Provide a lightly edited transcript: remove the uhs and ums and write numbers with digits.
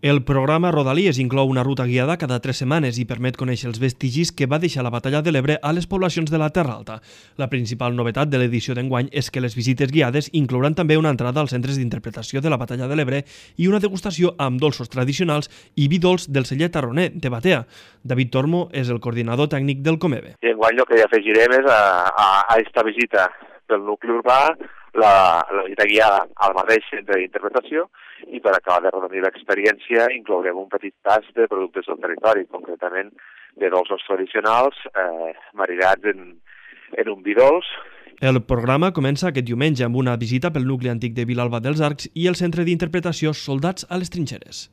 El programa Rodalies inclou una ruta guiada cada 3 setmanes i permet conèixer els vestigis que va deixar la Batalla de l'Ebre a les poblacions de la Terra Alta. La principal novetat de l'edició d'enguany és que les visites guiades inclouran també una entrada als centres d'interpretació de la Batalla de l'Ebre i una degustació amb dolços tradicionals i vi dolç del celler tarroner de Batea. David Tormo és el coordinador tècnic del Comebe. I enguany el que hi afegirem és a aquesta visita pel nucli urbà, la visita guiada al mateix centre d'interpretació, i per acabar de redonir l'experiència inclourem un petit tas de productes del territori, concretament de dolços tradicionals marinats en un vi dolç. El programa comença aquest diumenge amb una visita pel nucli antic de Vilalba dels Arcs i el centre d'interpretació Soldats a les Trinxeres.